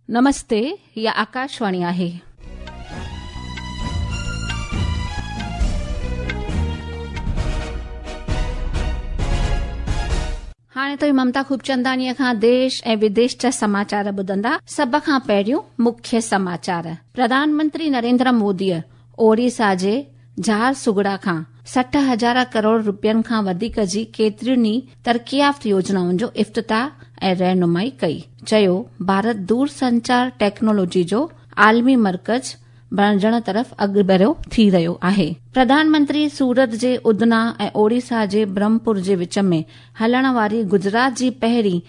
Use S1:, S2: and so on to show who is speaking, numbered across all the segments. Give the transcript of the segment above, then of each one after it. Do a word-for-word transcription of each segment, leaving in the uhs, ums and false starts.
S1: नमस्ते, हिअ आकाशवाणी आहे. हाणे त ममता खूबचंदानीअ खां देश ऐं विदेश जा समाचार ॿुधंदा। सभ खां पहिरियों मुख्य समाचार। प्रधानमंत्री नरेंद्र मोदीअ ओडिशा जे झारसुगुड़ा खां सठ हज़ार करोड़ रुपयनि खां वधीक जी केतिरियुनि ई तरक़ियाफ़्त योजनाउनि जो इफ्तिताह ऐं रहनुमाई कई। चयो, भारत दूरसंचार टेक्नोलॉजी जो आलमी मर्कज़ बणिजण तरफ़ अॻिभरो थी रहियो आहे। प्रधानमंत्री सूरत जे उधना ऐं ओडिशा जे ब्रह्मपुर जे विच में हलण वारी गुजरात जी पहिरीं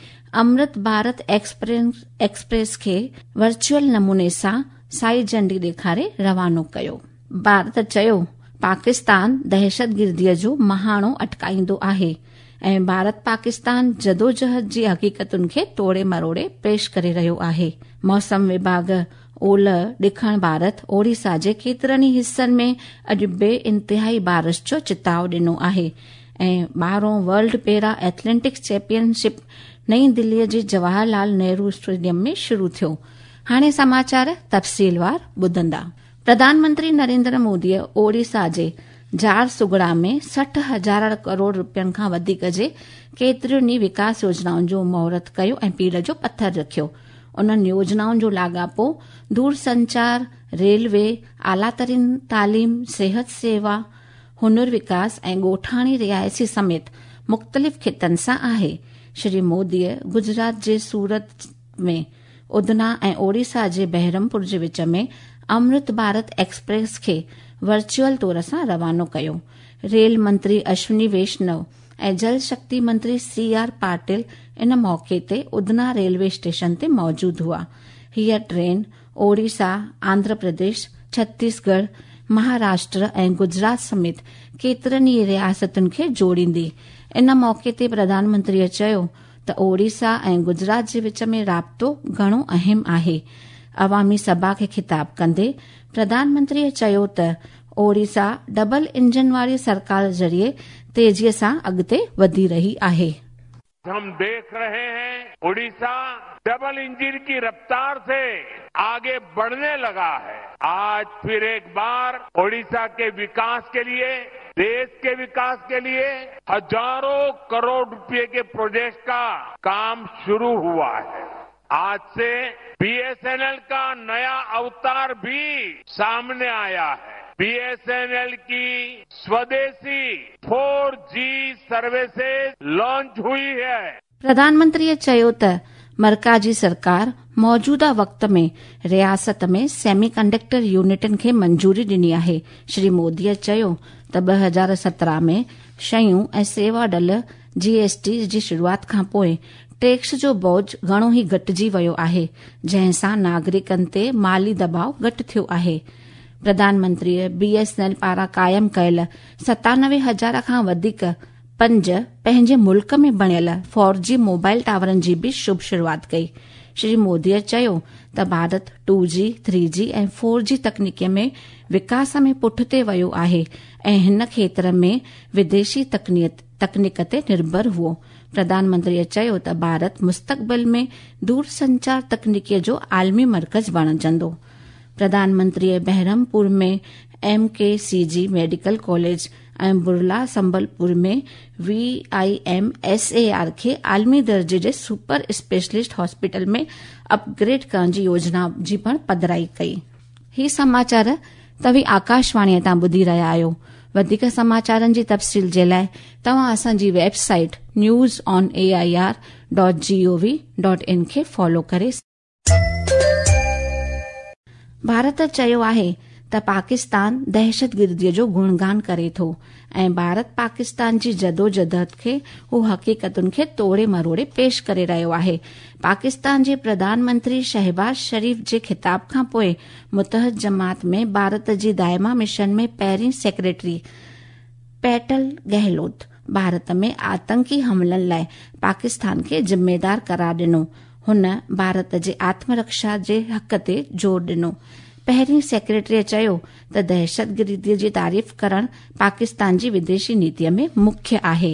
S1: अमृत भारत एक्सप्रेस एक्सप्रेस खे वर्चुअल नमूने सां साई झंडी ॾेखारे रवानो कयो। भारत चयो, पाकिस्तान दहशतगिर्दीअ जो महाणो अटकाईंदो आहे ऐं भारत पाकिस्तान जदोजहद जी हक़ीक़तुनि खे तोड़े मरोड़े पेश करे रहियो आहे। मौसम विभाग ओलह ॾखण भारत ओडिशा जे केतिरनि ई हिसनि में अॼु बे इंतिहाई बारिश जो चिताव ॾिनो आहे ऐं ॿारहों वर्ल्ड पैरा एथलेटिक्स चैंपियनशिप नई दिल्लीअ जे जवाहरलाल नेहरू स्टेडियम में शुरू थियो। हाणे समाचार तफ़सीलवार ॿुधंदा। प्रधानमंत्री नरेंद्र मोदीअ ओडिशा जे झारसुगुड़ा में सठ हज़ार करोड़ रुपयनि खां वधीक जे केतिरियुनि ई विकास योजनाउनि जो मुहूर्त कयो ऐं पीड़ जो पथर रखियो। उन्हनि योजनाउनि जो लाॻापो दूरसंचार, रेलवे, आला तरीन तालीम, सिहत सेवा, हुनर विकास ऐं ॻोठाणी रिहाइशी समेत मुख़्तलिफ़ ख़ितनि सां आहे। श्री मोदीअ गुजरात जे सूरत में उधना ऐं ओडिशा जे बहरमपुर जे विच में अमृत भारत एक्सप्रेस खे वर्चुअल तौर सां रवानो कयो। रेल मंत्री अश्विनी वैष्णव ऐं जल शक्ति मंत्री सी आर पाटिल इन मौक़े ते उधना रेलवे स्टेशन ते मौजूद हुआ। हीअ ट्रेन ओडिशा, आंध्र प्रदेश, छत्तीसगढ़, महाराष्ट्र ऐं गुजरात समेत केतिरनि ई रियासतुनि खे जोड़ींदी। इन मौक़े ते प्रधानमंत्रीअ चयो त ओडिशा ऐं गुजरात जे विच में राब्तो घणो अहम आहे। अवामी सभा खे ख़िताब कंदे प्रधानमंत्रीअ चयो त ओडिशा डबल इंजन वारी सरकार ज़रिए तेज़ीअ सां अॻिते वधी रही आहे।
S2: हम देख रहे हैं उड़ीसा डबल इंजन की रफ्तार से आगे बढ़ने लगा है। आज फिर एक बार ओडिशा के विकास के लिए, देश के विकास के लिए हजारों करोड़ रुपए के प्रोजेक्ट का काम शुरू हुआ है। आज से बीएसएनएल का नया अवतार भी सामने आया है। बीएसएनएल की स्वदेशी फोर जी सर्विसेज लॉन्च हुई है।
S1: प्रधानमंत्रीअ चयो त मरकज़ी सरकार मौजूदा वक़्त में रियासत में सेमी कंडक्टर यूनिटनि खे मंजूरी ॾिनी आहे। श्री मोदीअ चयो त ॿ हज़ार सत्रहं में शयूं ऐं सेवा डल जीएसटी जी शुरूआत खां पोइ टैक्स जो बोझ घणो ई घटिजी वियो आहे, जंहिं सां नागरिकनि ते माली दबाव घटि थियो आहे। प्रधानमंत्रीअ बीएसएनएल पारां क़ाइमु कयल सतानवे हज़ार खां वधीक पंज पंहिंजे मुल्क में बणियल फोर जी मोबाइल टावरनि जी बि शुभ शुरूआत कई। श्री मोदीअ चयो त भारत टू जी, थ्री जी ऐं फोर जी तकनीकीअ में विकास में पुठिते वियो आहे ऐं हिन खेतर में विदेशी तकनीक ते निर्भर हुओ। प्रधानमंत्रीअ चयो त भारत मुस्तक़बिल में दूरसंचार तकनीकीअ जो आलमी मर्कज़ बणिजंदो। प्रधानमंत्रीअ बहरमपुर में M K C G medical college ऐं बुरला संबलपुर में V I M S A R खे आलमी दर्जे जे सुपर स्पेशलिस्ट हॉस्पिटल में अपग्रेड करण जी योजना जी पिणु पधराई कई। ही समाचार तव्हीं आकाशवाणीअ तां ॿुधी रहिया आहियो। वधीक समाचारनि जी तफ़सील जे लाइ तव्हां असांजी website news on A I R dot G O V dot in खे फॉलो करे। भारत चयो आहे त पाकिस्तान दहशतगिर्दीअ जो गुणगान करे थो ऐं भारत पाकिस्तान जी जदोजहद खे हू हक़ीक़तुनि खे तोड़े मरोड़े पेश करे रहियो आहे। पाकिस्तान जे प्रधानमंत्री शहबाज शरीफ जे ख़िताब खां पोइ मुतहद जमात में भारत जी दायमा मिशन में पहिरीं सेक्रेटरी पेटल गहलोत भारत में आतंकी हमलनि लाइ पाकिस्तान खे ज़िम्मेदार करार ॾिनो। हुन भारत जे आत्मरक्षा जे हक़ ते ज़ोर ॾिनो। पहिरीं सेक्रेटरीअ चयो त दहशतगिर्दीअ जी तारीफ़ करणु पाकिस्तान जी विदेशी नीतीअ में मुख्य आहे।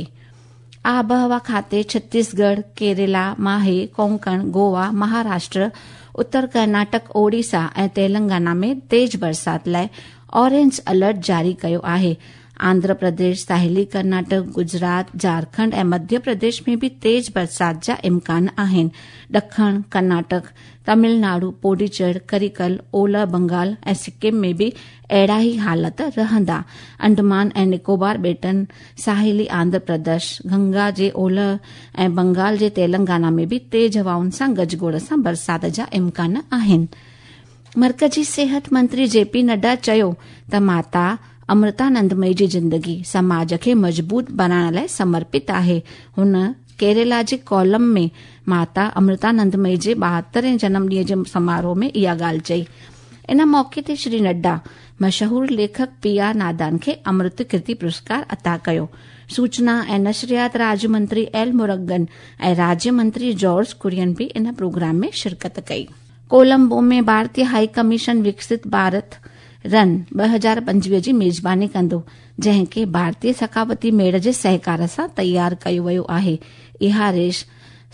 S1: आबहवा खाते छत्तीसगढ़, केरला, माहे, कोंकण, गोवा, महाराष्ट्र, उत्तर कर्नाटक, ओडिशा ऐं तेलंगाना में तेज बरसात लाइ ऑरेंज अलर्ट जारी कयो आहे। आंध्र प्रदेश, साहिली कर्नाटक, गुजरात, झारखंड ऐं मध्य प्रदेश में बि तेज बरसात जा इम्कान आहिनि। ॾखण कर्नाटक, तमिलनाडु, पोडिचेरी, करिकल, ओलह बंगाल ऐं सिक्किम में बि अहिड़ा ई हालत रहंदा। अंडमान ऐं निकोबार ॿेटनि, साहिली आंध्र प्रदेश, गंगा जे ओलह ऐं बंगाल जे तेलंगाना में बि तेज हवाउनि सां गजगोड़ सां बरसात जा इम्कान आहिनि। मर्कजी सेहत मंत्री जेपी नड्डा चयो त माता अमृतानंदमयी जी ज़िंदगी समाज खे मज़बूत बणाइण लाइ समर्पित आहे। हुन केरला जे कॉलम में माता अमृतानंदमयी जे ॿाहतरें जनम ॾींहं जे समारोह में इहा ॻाल्हि चई। इन मौक़े ते श्री नड्डा मशहूर लेखक पी आर नादान खे अमृत कीर्ति पुरस्कार अता कयो। सूचना ऐं नशरियात राज्य मंत्री एल मुरुगन ऐं राज्य मंत्री जॉर्ज कुरियन बि इन प्रोग्राम में शिरकत कई। कोलंबो में भारतीय हाई कमीशन विकसित भारत रन ॿ हज़ार पंजवीह जी मेज़बानी कंदो, जंहिंखे भारतीय सकाफ़ती मेड़ जे सहकार सां तयारु कयो वियो आहे। इहा रेस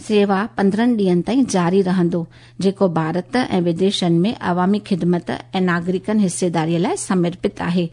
S1: सेवा पंद्रहं ॾींहनि ताईं जारी रहंदो, जेको भारत ऐं विदेशनि में अवामी ख़िदमत ऐं नागरिकनि हिस्सेदारीअ लाइ समर्पित आहे।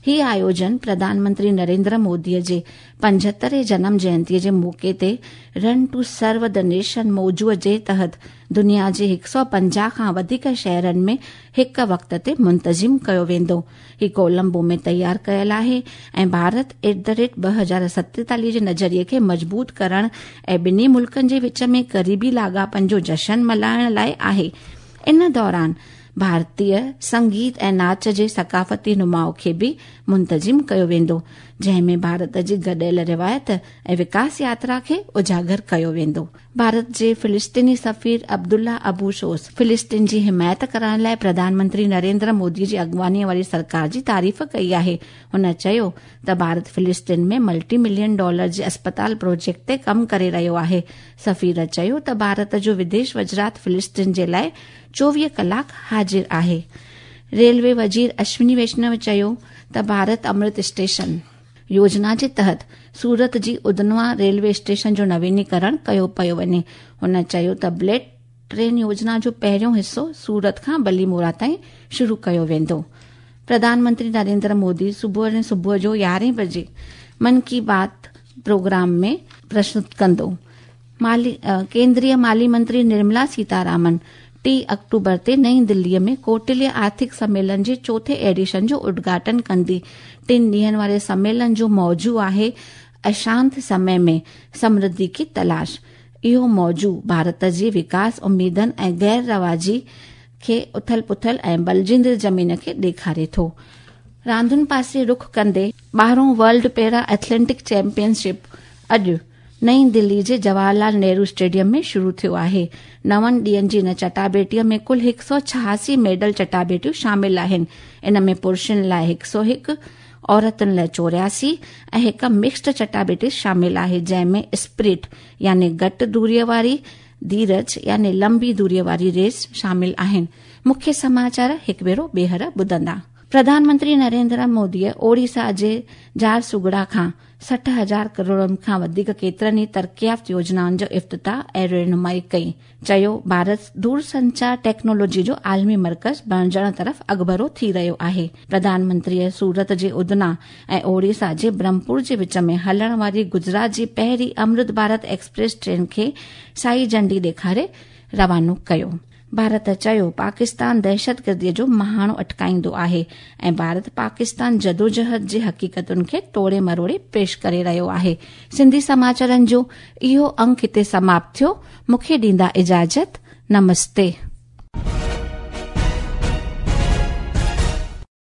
S1: ही आयोजन प्रधानमंत्री नरेंद्र मोदीअ जे पंजहतरें जनम जयंतीअ जे मौक़े ते run to serve the nation मौजूअ जे तहत दुनिया जे हिकु सौ पंजाह खां वधीक शहरनि में हिकु वक़्त ते मुंतज़िम कयो वेंदो। ही कोलंबो में तयारु कयल आहे ऐं भारत एट the rate ॿ हज़ार सतेतालीह जे नज़रिए खे मज़बूत करण ऐं ॿिन्ही मुल्कनि जे विच में क़रीबी लाॻापनि जो जशन मल्हाइण लाइ आहे। इन दौरान भारतीय संगीत ऐं नाच जे सकाफ़ती नुमाउ खे बि मुंतज़िम कयो वेंदो, जंहिं में भारत जी गॾियल रिवायत ऐं विकास यात्रा खे उजागर कयो वेंदो। भारत जे फिलिस्तीनी सफ़ीर अब्दुल्ला अबू शोस फिलिस्तीन जी हिमायत करण लाइ प्रधानमंत्री नरेंद्र मोदी जी अॻुवानीअ वारी सरकार जी तारीफ़ कई आहे। हुन चयो त भारत फिलिस्तीन में मल्टी मिलियन डॉलर जे अस्पताल प्रोजेक्ट ते कमु करे रहियो आहे। सफ़ीर चयो त भारत जो विदेश वज़ारत फिलिस्तीन जे लाइ चोवीह कलाक हाज़िर आहे। रेलवे वज़ीर अश्विनी वैष्णव चयो त भारत अमृत स्टेशन योजना जे तहत सूरत जी उधना रेलवे स्टेशन जो नवीनीकरण कयो पियो वञे। हुन चयो त बुलेट ट्रेन योजना जो पहिरियों हिसो सूरत खां बलीमोरा ताईं शुरू कयो वेंदो। प्रधानमंत्री नरेंद्र मोदी सुबुह सुबुह जो यारहें बजे मन की बात प्रोग्राम में प्रस्तुत कंदो। माली केंद्रीय माली मंत्री निर्मला सीतारामन टी अक्टूबर ते नई दिल्लीअ में कौटिल्य आर्थिक सम्मेलन जे चोथे एडिशन जो उद्घाटन कंदी। टिनि ॾींहनि वारे सम्मेलन जो मौजू आहे अशांत समय में समृद्धि की तलाश। इहो मौजू भारत जे विकास उम्मीदनि ऐं गैर रवाजी खे उथल पुथल ऐं बलजींदड़ ज़मीन खे ॾेखारे थो। रांदुनि पासे रुख कंदे ॿारहों वर्ल्ड पैरा एथलेटिक चैंपियनशिप अॼु नई दिल्ली जे जवाहरलाल नेहरू स्टेडियम में शुरू थियो आहे। नवनि ॾींहनि जी इन चटाबेटीअ में कुल हिकु सौ छहासी मेडल चटाबेटियूं शामिल आहिनि। इन में पुरुषनि लाइ हिकु सौ हिकु, औरतुनि लाइ चोरासी ऐं हिकु मिक्स्ड चटाबेटी शामिल आहे, जंहिंमें स्प्रिंट यानी घटि दूरीअ वारी, धीरज यानी लंबी दूरीअ वारी रेस शामिल आहिनि। मुख्य समाचार हिकु भेरो ॿीहर ॿुधंदा। प्रधानमंत्री नरेंद्र मोदीअ ओडिशा जे झारसुगुड़ा खां सठि हज़ार करोड़नि खां वधीक केतिरनि ई तरक़ियात योजनाउनि जो इफ़्तिताह ऐं रहनुमाई कई। चयो भारत दूरसंचार टेक्नोलॉजी जो आलमी मर्कज़ बणिजण तरफ़ अॻिभरो थी रहियो आहे। प्रधानमंत्रीअ सूरत जे उधना ऐं ओडिशा जे ब्रह्मपुर जे विच में हलण वारी गुजरात जी पहिरीं अमृत भारत एक्सप्रेस ट्रेन खे साई झंडी ॾेखारे रवानो कयो। भारत चयो पाकिस्तान दहशतगर्दीअ जो महाणो अटकाईंदो आहे ऐं भारत पाकिस्तान जदोजहद जे हक़ीक़तुनि खे टोड़े मरोड़े पेश करे रहियो आहे। सिंधी समाचारनि जो इहो अंक हिते समाप्त थियो। मूंखे ॾींदा इजाज़त। नमस्ते।